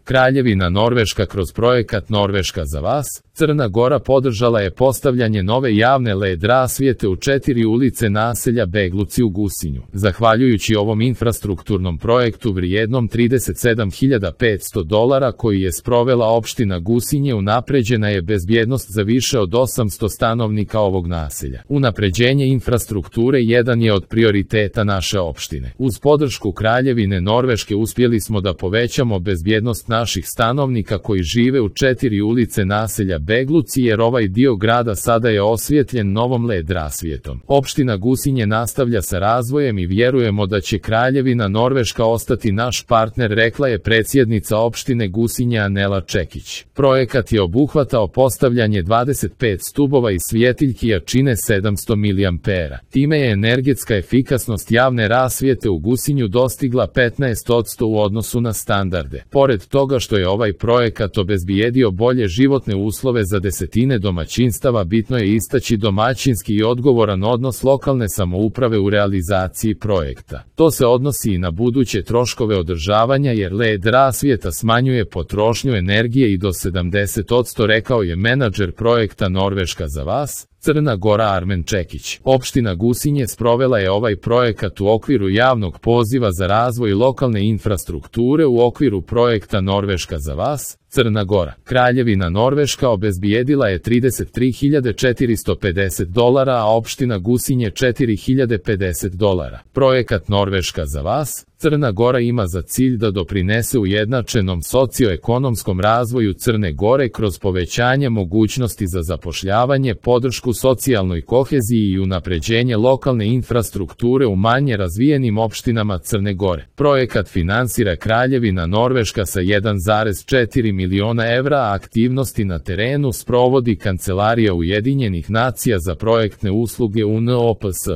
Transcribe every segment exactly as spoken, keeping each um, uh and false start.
Kraljevina Norveška kroz projekat Norveška za vas, Crna Gora podržala je postavljanje nove javne el e de rasvjete u četiri ulice naselja Begluci u Gusinju. Zahvaljujući ovom infrastrukturnom projektu vrijednom trideset sedam hiljada petsto dolara koji je sprovela opština Gusinje, unapređena je bezbjednost za više od osamsto stanovnika ovog naselja. Unapređenje infrastrukture jedan je od prioriteta naše opštine. Uz podršku Kraljevine Norveške uspjeli smo da povećamo bezbjednost naših stanovnika koji žive u četiri ulice naselja Begluci, jer ovaj dio grada sada je osvjetljen novom el e de rasvjetom. Opština Gusinje nastavlja sa razvojem i vjerujemo da će Kraljevina Norveška ostati naš partner, rekla je predsjednica opštine Gusinje Anela Čekić. Projekat je obuhvatao postavljanje dvadeset pet stubova i svjetiljki jačine sedamsto miliampera. Time je energetska efikasnost javne rasvjete u Gusinju dostigla petnaest posto u odnosu na standarde. Pored toga što je ovaj projekat obezbijedio bolje životne uslove za desetine domaćinstava, bitno je istaći domaćinski i odgovoran odnos lokalne samouprave u realizaciji projekta. To se odnosi i na buduće troškove održavanja, jer el e de rasvjeta smanjuje potrošnju energije i do sedamdeset posto, rekao je menadžer projekta Norveška za vas, Crna Gora Armen Čekić. Opština Gusinje sprovela je ovaj projekat u okviru javnog poziva za razvoj lokalne infrastrukture u okviru projekta Norveška za vas, Crna Gora. Kraljevina Norveška obezbijedila je trideset tri hiljade četiristo pedeset dolara, a opština Gusinje četiri hiljade pedeset dolara. Projekat Norveška za vas, Crna Gora ima za cilj da doprinese ujednačenom socioekonomskom razvoju Crne Gore kroz povećanje mogućnosti za zapošljavanje, podršku socijalnoj koheziji i unapređenje lokalne infrastrukture u manje razvijenim opštinama Crne Gore. Projekat finansira Kraljevina Norveška sa jedan zarez četiri miliona evra, a aktivnosti na terenu sprovodi Kancelarija Ujedinjenih nacija za projektne usluge U N O P S.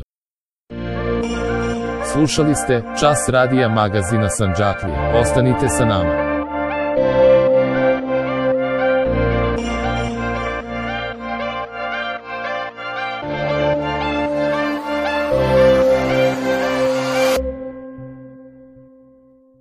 Slušali ste Čas radija magazina Sandžaklija. Ostanite sa nama.